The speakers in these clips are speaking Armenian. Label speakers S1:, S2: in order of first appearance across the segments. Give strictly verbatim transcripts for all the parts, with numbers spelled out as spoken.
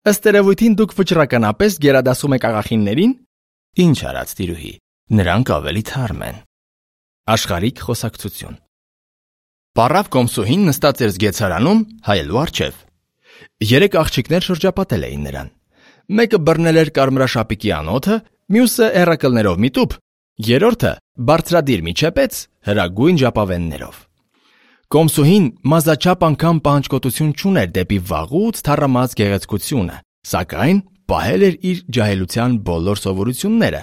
S1: Ըստ երևույթին դուք վճռականապես գերադասում եք աղախիններին։
S2: Ինչ արած տիրուհի, նրանք ավելի թարմ են։
S1: Աշխարհիկ խոսակցություն։
S2: Պառավ Կոմսուհին նստած էր զգեցարանում հայելու առջև։
S1: Երեք աղջիկներ շրջապատել էին նրան։ Մեկը բռնել էր կարմրաշապիկի անոթը, մյուսը հեռակլներով միտուփ, երրորդը բարձրադիր միջեպեց հրագույն ժապավեններով։ Կոմսուհին մազաչափ անգամ պահանջկոտություն չուներ դեպի վաղուց թառամած գեղեցկությունը, սակայն պահել էր իր ջահելության բոլոր սովորությունները,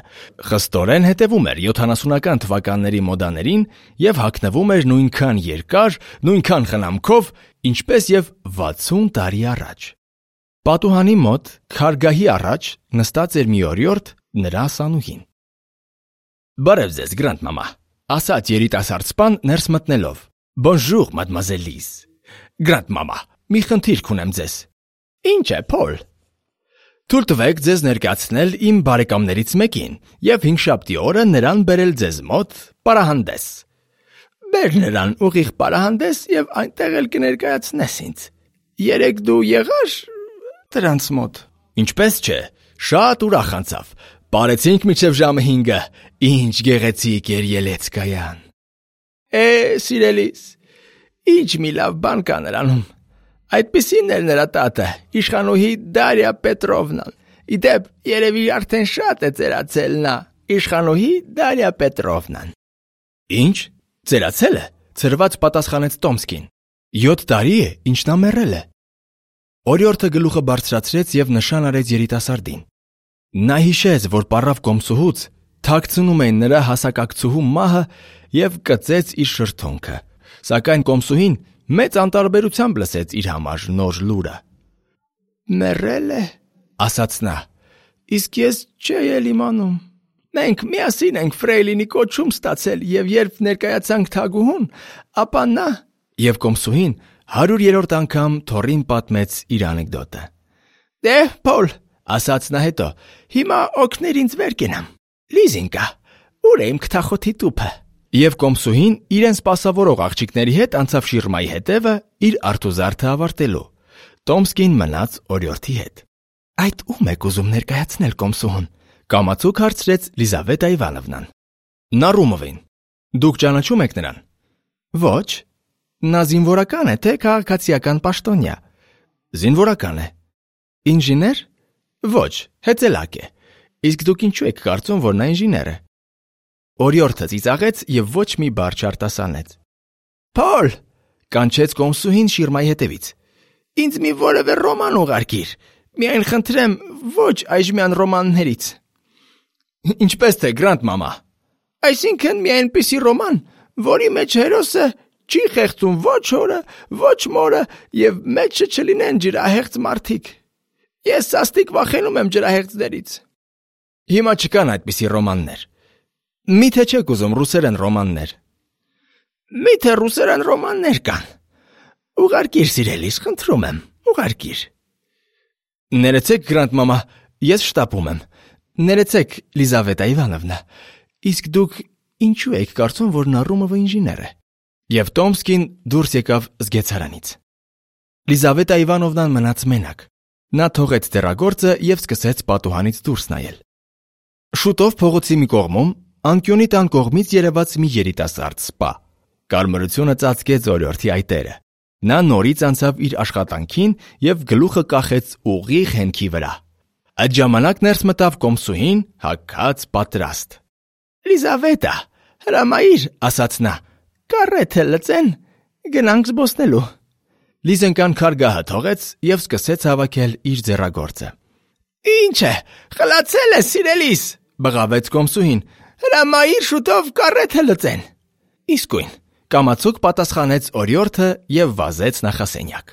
S1: խստորեն հետևում էր յոթանասունական թվականների մոդաներին և հագնվում էր նույնքան երկար, նույնքան խնամքով, ինչպես և վաթսուն տարի առաջ։ Պատուհանի մոտ քարգահի առաջ նստած էր մի օրիորդ, նրա ասանուհին։
S2: Բարև ձեզ, Գրանդ-մամա,
S1: ասաց երիտասարդ սպան ներս մտնելով։
S2: Bonjour, mademoiselle Lise։
S1: Գրանդ-մամա, մի խնդիր կունեմ ձեզ։
S2: Ինչ է, Փոլ։
S1: Թույլ տվեք ձեզ ներկայացնել իմ բարեկամներից մեկին և հինգշաբթի օրը նրան բերել ձեզ մոտ պարահանդես։
S2: Բեր նրան ուղիղ պարահանդես և այնտեղ էլ կներկայացնես ինձ։ Երեկ դու եղար դրանց մոտ։
S1: Ինչպես չէ, շատ ուրախ անցավ։ Պարեցինք մինչև ժամը հինգը, ինչ գեղեցիկ էր ելեցկայան։
S2: Է, սիրելիս, ինչ մի լավ բան կա նրանում։ Այդպիսին էր նրա տատը, իշխանուհի Դարիա Պետրովնան։ Իդեպ, երևի արդեն շատ է ծերացել նա, իշխանուհի Դարիա Պետրովնան։
S1: Ինչ, ծերացել է, ցրված պատասխանեց Տոմսկին։ Յոթ տարի է, ինչ նա մեռել է։ Օրիորդը գլուխը բարձրացրեց և նշան արեց երիտասարդին։ Նա հիշեց, որ պառավ Կոմսուհուց թաքցնում էին նրա հասակակցուհու մահը և կծեց իր շրթունքը, սակայն Կոմսուհին մեծ անտարբերությամբ լսեց իր համար նոր լուրը։
S2: Մեռել է,
S1: ասաց նա,
S2: իսկ ես չէի էլ իմանում։ Մենք միասին ենք Ֆրեյլինի կոչում ստացել և երբ ներկայացանք թագուհուն, ապա նա…
S1: Եվ Կոմսուհին հարյուրերորդ անգամ թոռին պատմեց իր անեկդոտը։
S2: Դե, Փոլ,
S1: ասաց նա հետո,
S2: հիմա օգներ ինձ վեր կենամ։ Լիզինկա, ուր է իմ քթախոթի տուփը։
S1: Եվ Կոմսուհին իրեն սպասավորող աղջիկների հետ անցավ շիրմայի հետևը իր արթուզարդը ավարտելու։ Տոմսկին մնաց օրիորդի հետ։ Այդ ում եք ուզում ներկայացնել Կոմսուհուն, կամացուկ հարցրեց Լիզավետա Իվանովնան։ Նարումովին։ Դուք ճանաչում եք նրան։ Ոչ։ Նա զինվորական է, թե քաղաքացիական պաշտոնյա։ Զինվորական է։ Ինժեներ։ Ոչ, հեծելակ է։ Իսկ դուք ինչու եք կարծում, որ նա ինժեներ է։ Օրիորդը ծիծաղեց և ոչ մի բառ չարտասանեց։
S2: Փոլ,
S1: կանչեց Կոմսուհին շիրմայի հետևից։
S2: Ինձ մի որևէ ռոման ուղարկիր։ Միայն խնդրեմ, ոչ այժմյան ռոմաններից։
S1: Ինչպես թե, Գրանդ-մամա։
S2: Այսինքն մի այնպիսի ռոման, որի մեջ հերոսը չի խեղդում ոչ օրը, ոչ մորը և մեջը չլինեն ջրահեղձ մարդիկ։ Ես սաստիկ վախենում եմ ջրահեղձներից։
S1: Հիմա չկան այդպիսի ռոմաններ։ Միթե չեք ուզում ռուսերեն ռոմաններ։
S2: Միթե ռուսերեն ռոմաններ կան։ Ուղարկիր, սիրելիս, խնդրում եմ, ուղարկիր։
S1: Ներեցեք, Գրանդ-մամա, ես շտապում եմ։ Ներեցեք, Լիզավետա Իվանովնա, իսկ դուք ինչու եք կարծում, որ Նարումովը ինժեներ է։ Եվ Տոմսկին դուրս եկավ զգեցարանից։ Լիզավետա Իվանովնան մնաց մենակ։ Նա թողեց դեռագործը և սկսեց պատուհանից դուրս նայել։ Շուտով փողոցի մի կողմում, անկյունի տան կողմից երևաց մի երիտասարդ սպա։ Կարմրությունը ծածկեց օրիորդի այտերը։ Նա նորից անցավ իր աշխատանքին և գլուխը կախեց ուղիղ հենքի վրա։ Այդ ժամանակ ներս մտավ Կոմսուհին, հագած պատրաստ։
S2: Լիզավետա, հրամայիր,
S1: ասաց նա,
S2: կարեթե լծեն, գնանք զբոսնելու։
S1: Լիզենկան քարգահը թողեց և սկսեց հավաքել իր ձեռագործը։
S2: Ինչ է, խլացել է, սիրելիս,
S1: բղավեց Կոմսուհին։
S2: Հրամայիր շուտով կարեթե լծեն։
S1: Իսկույն, կամացուկ պատասխանեց օրիորդը և վազեց նախասենյակ։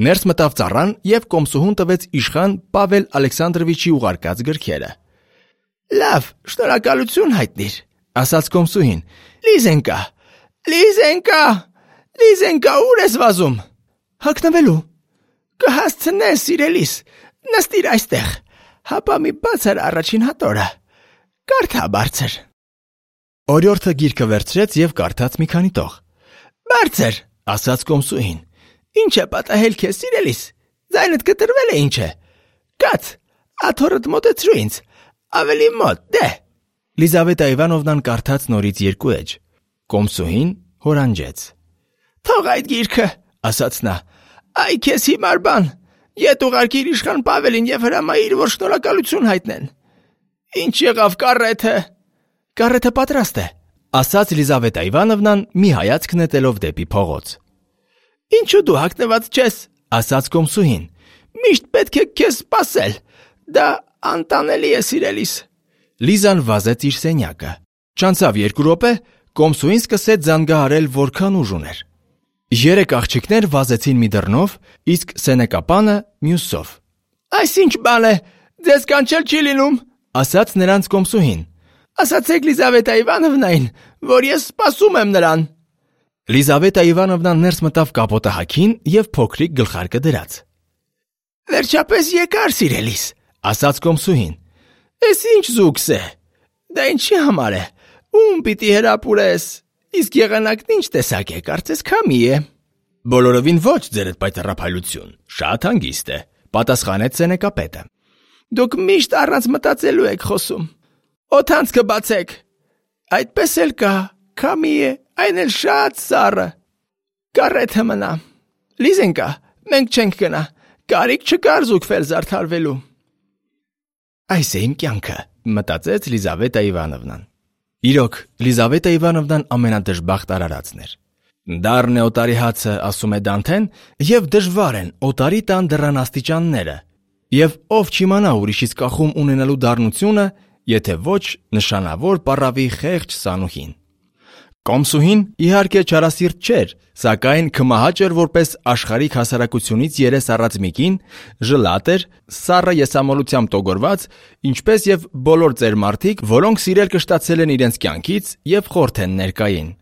S1: Ներս մտավ ծառան և Կոմսուհուն տվեց իշխան Պավել Ալեքսանդրովիչի ուղարկած գրքերը։
S2: Լավ, շնորհակալություն հայտնիր,
S1: ասաց Կոմսուհին։
S2: Լիզենկա, Լիզենկա, Լիզենկա, ուր ես վազում։
S1: Հագնվելու։
S2: Կհասցնես, սիրելիս, նստիր այստեղ, հապա մի բացր առաջին հատորը, կարդա բարձր։
S1: Օրիորդը գիրքը վերցրեց և կարդաց մի քանի տող։
S2: Բարձր,
S1: ասաց Կոմսուհին։
S2: Ինչ է պատահել քեզ, սիրելիս, ձայնդ կտրվել է ինչ է։ Կաց, աթոռդ մոտեցրու ինձ, ավելի մոտ, դե։
S1: Լիզավետա Իվանովնան կարդաց նորից երկու էջ։ Կոմսուհին հորանջեց։
S2: Թող այդ գիրքը, ասաց նա, այ քեզ հիմար բան, ետ ուղարկիր իշխան Պավելին և հրամայիր, որ շնորհակալություն հայտնեն։ Ինչ եղավ կառեթը։
S1: Կառեթը պատրաստ է, ասաց Լիզավետա Իվանովնան մի հայացք նետելով դեպի փողոց։
S2: Ինչու դու հագնված չես,
S1: ասաց կոմսուհին։
S2: Միշտ պետք է քեզ սպասել, դա անտանելի է սիրելիս։
S1: Լիզան վազեց իր սենյակը։ Չանցավ երկու րոպե, կոմսուհին սկսեց զանգահարել, որքան ուժ ուներ։ Երեք աղջիկներ վազեցին մի դռնով, իսկ սենեկապանը մյուսով։
S2: Այս ինչ բան է, ձեզ կանչել չի լինում,
S1: ասաց նրանց կոմսուհին։
S2: Ասացեք Լիզավետա Իվանովնային, որ ես սպասում եմ նրան։
S1: Լիզավետա Իվանովնան ներս մտավ կապոտահակին և փոքրիկ գլխարկը դրած։
S2: Վերջապես եկար, սիրելիս,
S1: ասաց կոմսուհին։
S2: Էս ինչ զուգս է, դա ինչի համար է, ում պիտի հրապուրես, իսկ եղանակն ինչ տեսակ է, կարծես քամի է։
S1: Բոլորովին ոչ, ձերդ պայծառափայլություն, շատ հանգիստ է, պատասխանեց սենեկապետը։
S2: Դուք միշտ առանց մտածելու եք խոսում։ Օդանցքը բացեք։ Այդպես էլ կա, քամի է, այն էլ շատ սառը։ Կառեթը մնա։ Լիզենկա, մենք չենք գնա, կարիք չկար զուգվել զարդարվելու։
S1: Այս է իմ կյանքը, մտածեց Լիզավետա Իվանովնան։ Իրոք, Լիզավետա Իվանովնան ամենադժբախտ արարածն էր։ Դառն է օտարի հացը, ասում է Դանթեն, և դժվար են օտարի տան դռան աստիճանները, և ով չիմանա ուրիշից կախում ունենալու դառնությունը, եթե ոչ նշանավոր պառավի խեղճ սանուհին։ Կոմսուհին իհարկե չարասիրտ չէր, սակայն քմահաճ էր որպես աշխարհիկ հասարակությունից երես առած մի կին, ժլատ էր, սառը եսամոլությամբ տոգորված, ինչպես և բոլոր ծեր մարդիկ, որոնք սիրել կշտացել են իրենց կյանքից և խորթ են ներկային։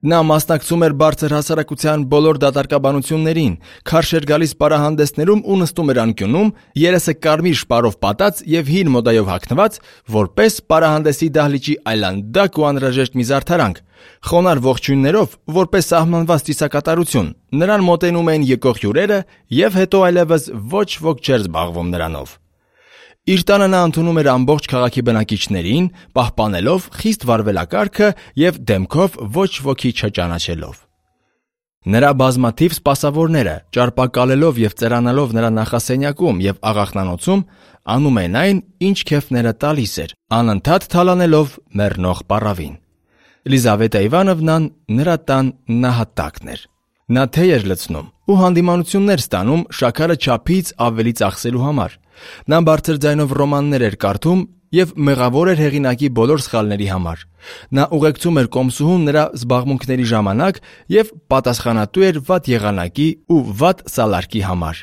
S1: Նա մասնակցում էր բարձր հասարակության բոլոր դատարկաբանություններին, քարշ էր գալիս պարահանդեսներում ու նստում էր անկյունում, երեսը կարմիր շպարով պատած և հին մոդայով հագնված, որպես պարահանդեսի դահլիճի այլանդակ ու անհրաժեշտ մի զարդարանք, խոնարհ ողջույններով, որպես սահմանված ծիսակատարություն, նրան մոտենում էին եկող հյուրերը և հետո այլևս ոչ ոք չէր զբաղվում նրանով։ Իր տանը նա ընդունում էր ամբողջ քաղաքի բնակիչներին, պահպանելով խիստ վարվելակարգը և դեմքով ոչ ոքի չճանաչելով։ Նրա բազմաթիվ սպասավորները, ճարպակալելով և ծերանալով նրա նախասենյակում և աղախնանոցում, անում են այն, ինչ քեֆները տալիս էր, անընդհատ թալանելով մեռնող պառավին։ Լիզավետա Իվանովնան նրա տան նահատակն էր։ Նա թեյ էր լցնում ու հանդիմանություններ ստանում շաքարը չափից ավելի ծախսելու համար։ Նա բարձր ձայնով ռոմաններ էր կարդում և մեղավոր էր հեղինակի բոլոր սխալների համար։ Նա ուղեկցում էր կոմսուհուն նրա զբաղմունքների ժամանակ և պատասխանատու էր վատ եղանակի ու վատ սալարկի համար։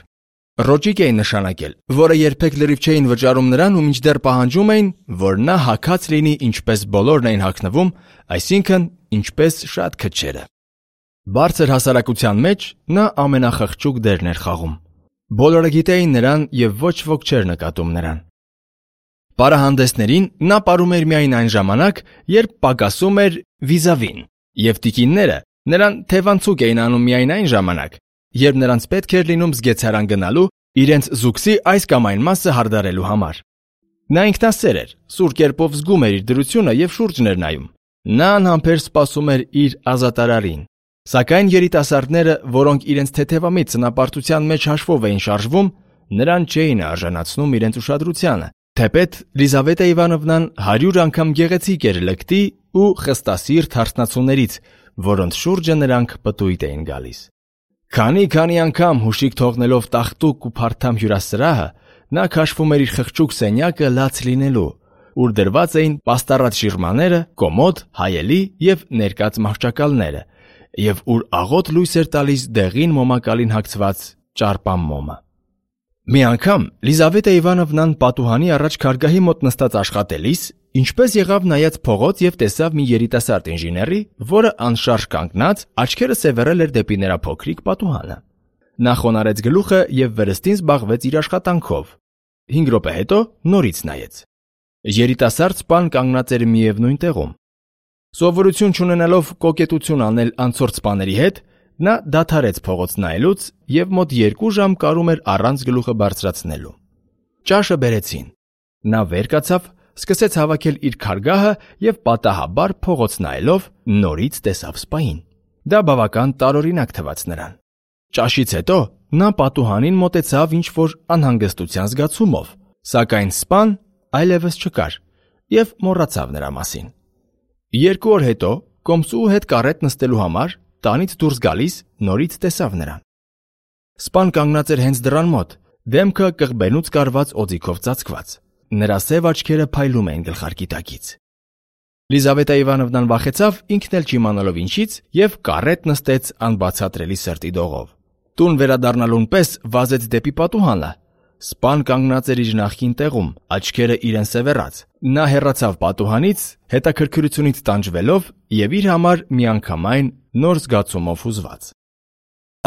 S1: Ռոճիկ էին նշանակել, որը երբեք լրիվ չէին վճարում նրան ու մինչդեռ պահանջում էին, որ նա հագած լինի ինչպես բոլորն էին հագնվում, այսինքն ինչպես շատ քչերը։ Բարձր հասարակության մեջ նա ամենախղճուկ դերն էր խաղում։ Բոլորը գիտեին նրան և ոչ ոք չէր նկատում նրան։ Պարահանդեսներին նա պարում էր միայն այն ժամանակ, երբ պակասում էր վիզավին, և տիկինները նրան թևանցուկ էին անում միայն այն ժամանակ, երբ նրանց պետք էր լինում զգեցարան գնալու իրենց զուգսի այս կամ այն մասը հարդարելու համար։ Նա ինքնասեր էր, սուր կերպով զգում էր իր դրությունը և շուրջն էր նայում։ Նա անհամբեր սպասում էր իր ազատարարին։ Սակայն երիտասարդները, որոնք իրենց թեթևամիտ ծնապարտության մեջ հաշվով էին շարժվում, նրան չէին արժանացնում իրենց ուշադրությանը, թեպետ Լիզավետա Իվանովնան հարյուր անգամ գեղեցիկ էր լկտի ու խստասիրտ հարսնացուներից, որոնց շուրջը նրանք պտույտ էին գալիս։ Քանի-քանի անգամ հուշիկ թողնելով տախտուկ ու փարթամ հյուրասրահը, նա քաշվում էր իր խղճուկ սենյակը լաց լինելու, ուր դրված էին պաստառած շիրմաները, կոմոդ, հայելի և ներկած մահճակալները, և ուր աղոտ լույս էր տալիս դեղին մոմակալին հագցված ճարպամ մոմը։ Մի անգամ Լիզավետա Իվանովնան պատուհանի առաջ քարգահի մոտ նստած աշխատելիս, ինչպես եղավ նայած փողոց և տեսավ մի երիտասարդ ինժեների, որը անշարժ կանգնած, աչքերը սևեռել էր դեպի նրա փոքրիկ պատուհանը։ Նա խոնարհեց գլուխը և վրստին զբաղվեց իր աշխատանքով։ Հինգ րոպե հետո նորից նայեց։ Երիտասարդ սպան կանգնած էր միևնույն տեղում։ Սովորություն չունենալով կոկետություն անել անցորդ սպաների հետ, նա դադարեց փողոց նայելուց և մոտ երկու ժամ կարում էր առանց գլուխը բարձրացնելու։ Ճաշը բերեցին։ Նա վեր կացավ, սկսեց հավաքել իր քարգահը եւ պատահաբար փողոց նայելով նորից տեսավ սպային։ Դա բավական տարօրինակ թվաց նրան։ Ճաշից հետո նա պատուհանին մոտեցավ ինչ-որ անհանգստության զգացումով, սակայն սպան այլևս չկար եւ մոռացավ նրա մասին։ Երկու օր հետո կոմսուու հետ կարետ նստելու համար տանից դուրս գալիս նորից տեսավ նրան։ Սպան կանգնած էր հենց դռան մոտ, դեմքը կղբենուց կարված օձիքով ծածկված։ Նրա սև աչքերը փայլում էին գլխարկի տակից։ Լիզավետա Իվանովնան վախեցավ, ինքն էլ չիմանալով ինչից, եւ կարետ նստեց անբացատրելի սրտի դողով։ Տուն վերադառնալուն պես վազեց դեպի պատուհանը։ Սպան կանգնած էր իր նախկին տեղում, աչքերը իրեն սևեռած։ Նա հեռացավ պատուհանից, հետաքրքրությունից տանջվելով եւ իր համար միանգամայն նոր զգացումով հուզված։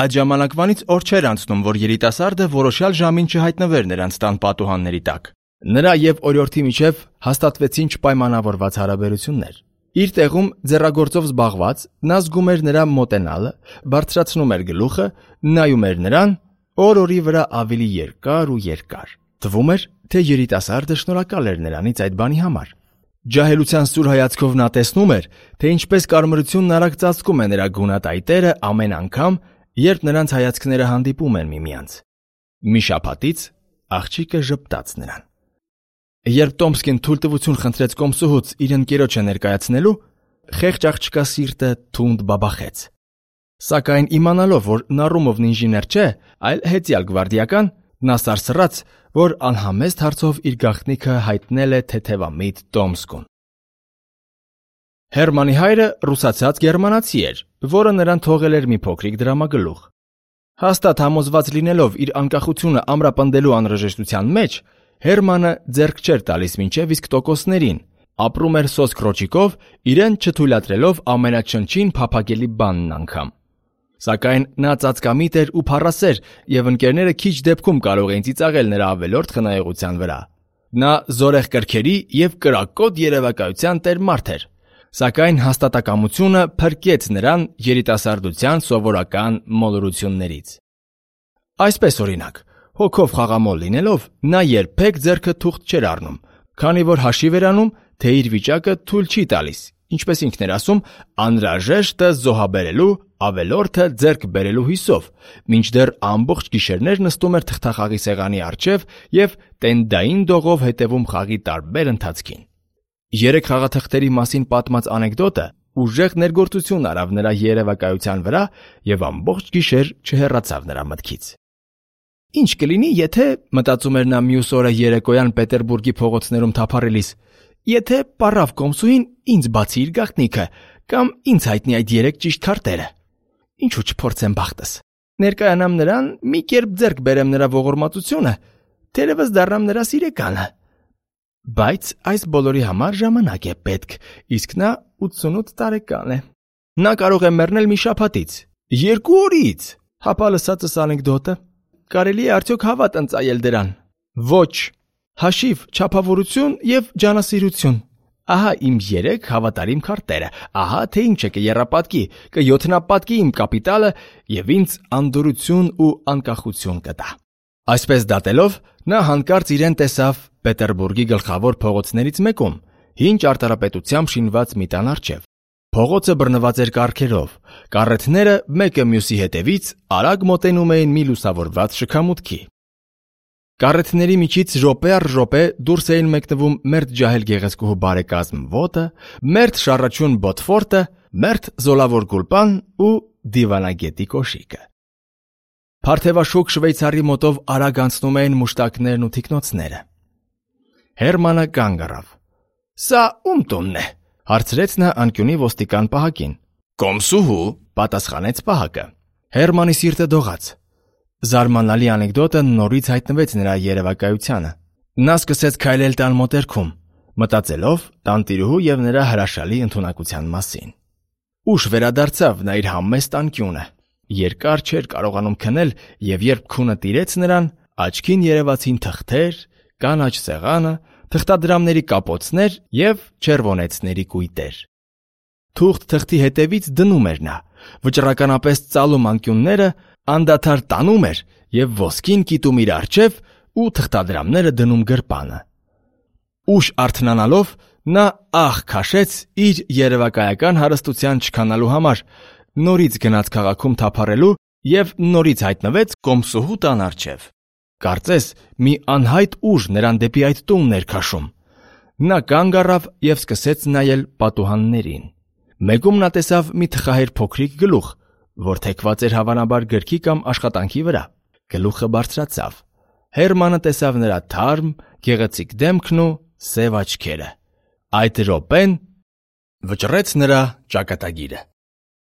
S1: Այդ ժամանակվանից օր չէր անցնում, որ երիտասարդը որոշյալ ժամին չհայտնվեր նրանց տան պատուհանների տակ։ Նրա եւ օրիորդի միջև հաստատվեցին չպայմանավորված հարաբերություններ։ Իր տեղում ձեռագործով զբաղված նա զգում էր նրա մոտենալը, բարձրացնում էր գլուխը, նայում էր նրան օր-օրի վրա ավելի երկար ու երկար։ Թվում էր, թե երիտասարդը շնորհակալ էր նրանից այդ բանի համար։ Ջահելության սուր հայացքով նա տեսնում էր, թե ինչպես կարմրությունն արագ ծածկում է նրա գունատայտերը ամեն անգամ, երբ նրանց հայացքները հանդիպում են միմյանց։ Մի շաբաթից աղջիկը ժպտաց նրան։ Երբ Տոմսկին թույլտվություն խնդրեց կոմսուհուց իր ընկերոջը ներկայացնելու, խեղճ աղջկա սիրտը թունդ բաբախեց։ Սակայն իմանալով, որ Նարումովն ինժեներ չէ, այլ հետյալ գվարդիական, նա սարսռաց, որ անհամեստ հարցով իր գաղտնիքը հայտնել է թեթևամիտ Տոմսկուն։ Հերմանի հայրը ռուսացած գերմանացի էր, որը նրան թողել էր մի փոքրիկ դրամագլուխ։ Հաստատ համոզված լինելով իր անկախությունը ամրապնդելու անհրաժեշտության մեջ, Հերմանը ձեռք չէր տալիս մինչև իսկ տոկոսներին, ապրում էր սոսկ ռոճիկով, իրեն չթույլատրելով ամենաչնչին փափագելի բանն անգամ։ Սակայն նա ծածկամիտ էր ու փառասեր, եւ ընկերները քիչ դեպքում կարող էին ծիծաղել նրա ավելորդ խնայողության վրա։ Նա զորեղ կրքերի եւ կրակոտ երևակայության տեր մարդ էր, սակայն հաստատակամությունը փրկեց նրան երիտասարդության սովորական մոլորություններից։ Այսպես օրինակ, հոգով խաղամոլ լինելով, նա երբեք ձեռքը թուղթ չէր առնում, քանի որ հաշիվ էր անում, թե իր վիճակը թույլ չի տալիս, ինչպես ինքն էր ասում, անհրաժեշտը զոհաբերելու, ավելորդը ձեռք բերելու հույսով, մինչդեռ ամբողջ գիշերներ նստում էր թղթախաղի սեղանի առջև եւ տենդային դողով հետևում խաղի տարբեր ընթացքին։ Երեք խաղաթղթերի մասին պատմած անեկդոտը ուժեղ ներգործություն արավ նրա երևակայության վրա եւ ամբողջ գիշեր չհեռացավ նրա մտքից։ Ինչ կլինի, եթե, մտածում էր նա մյուս օրը երեկոյան Պետերբուրգի փողոցներում թափառելիս, եթե պարավ կոմսուին ինձ բացի իր գաղտնիքը կամ ինձ հայտնի այդ երեք ճիշտ քարտերը։ Ինչու չփորձեմ բախտս։ Ներկայանամ նրան, մի կերպ ձեռք բերեմ նրա ողորմածությունը, թերևս դառնամ նրա սիրեկանը։ Բայց այս բոլորի համար ժամանակ է պետք, իսկ նա ութսունութ տարեկան է։ Նա կարող է մեռնել մի շաբաթից, երկու օրից։ Հապա լսածս անեկդոտը կարելի է արդյոք հավատ ընծայել դրան։ Ոչ, հաշիվ, չափավորություն եւ ջանասիրություն։ Ահա իմ երեք հավատարիմ քարտերը, ահա թե ինչ է կեռապատկի, կյոթնապատկի իմ կապիտալը եւ ինձ անդորություն ու անկախություն կտա։ Այսպես դատելով, նա հանկարծ իրեն տեսավ Պետերբուրգի գլխավոր փողոցներից մեկում, հին ճարտարապետությամբ շինված մի տան առջև։ Փողոցը բռնված էր կառքերով, կառեթները մեկը մյուսի հետևից արագ մոտենում էին մի լուսավորված շքամուտքի։ Կառեթների միջից րոպե առ րոպե դուրս էին մեկնվում մերթ ջահել գեղեցկուհու բարեկազմ ոտը, մերթ շառաչուն բոտֆորտը, մերթ զոլավոր գուլպան ու դիվանագետի կոշիկը։ Փարթևաշուկ շվեյցարի մոտով արագ անցնում էին մուշտակներն ու թիկնոցները։ Հերմանը կանգ առավ։ Սա ում տունն է, հարցրեց նա անկյունի ոստիկան պահակին։ Կոմսուհու, պատասխանեց պահակը։ Հերմանի սիրտը դողաց։ Զարմանալի անեկդոտը նորից հայտնվեց նրա երևակայությանը։ Նա սկսեց քայլել տան մոտերքում, մտածելով տանտիրուհու եւ նրա հրաշալի ընդունակության մասին։ Ուշ վերադարձավ նա իր համեստ անկյունը։ Երկար չէր կարողանում քնել եւ երբ քունը տիրեց նրան, աչքին երևացին թղթեր, կանաչ սեղանը, թղթադրամների կապոցներ եւ չերվոնեցների կույտեր։ Թուղթ թղթի հետևից դնում էր նա, վճռականապես ծալում անկյունները, անդադար տանում էր եւ ոսկին կիտում իր առջև, ու թղթադրամները դնում գրպանը։ Ուշ արթնանալով նա ահ քաշեց իր երևակայական հարստության չքանալու համար, նորից գնաց քաղաքում թափառելու և նորից հայտնվեց կոմսուհու տան առջև։ Կարծես մի անհայտ ուժ նրան դեպի այդ տունն էր քաշում։ Նա կանգ առավ և սկսեց նայել պատուհաններին։ Մեկում նա տեսավ մի թխահեր փոքրիկ գլուխ, որ թեքված էր հավանաբար գրքի կամ աշխատանքի վրա։ Գլուխը բարձրացավ։ Հերմանը տեսավ նրա թարմ, գեղեցիկ դեմքն ու սև աչքերը։ Այդ րոպեն վճռեց նրա ճակատագիրը։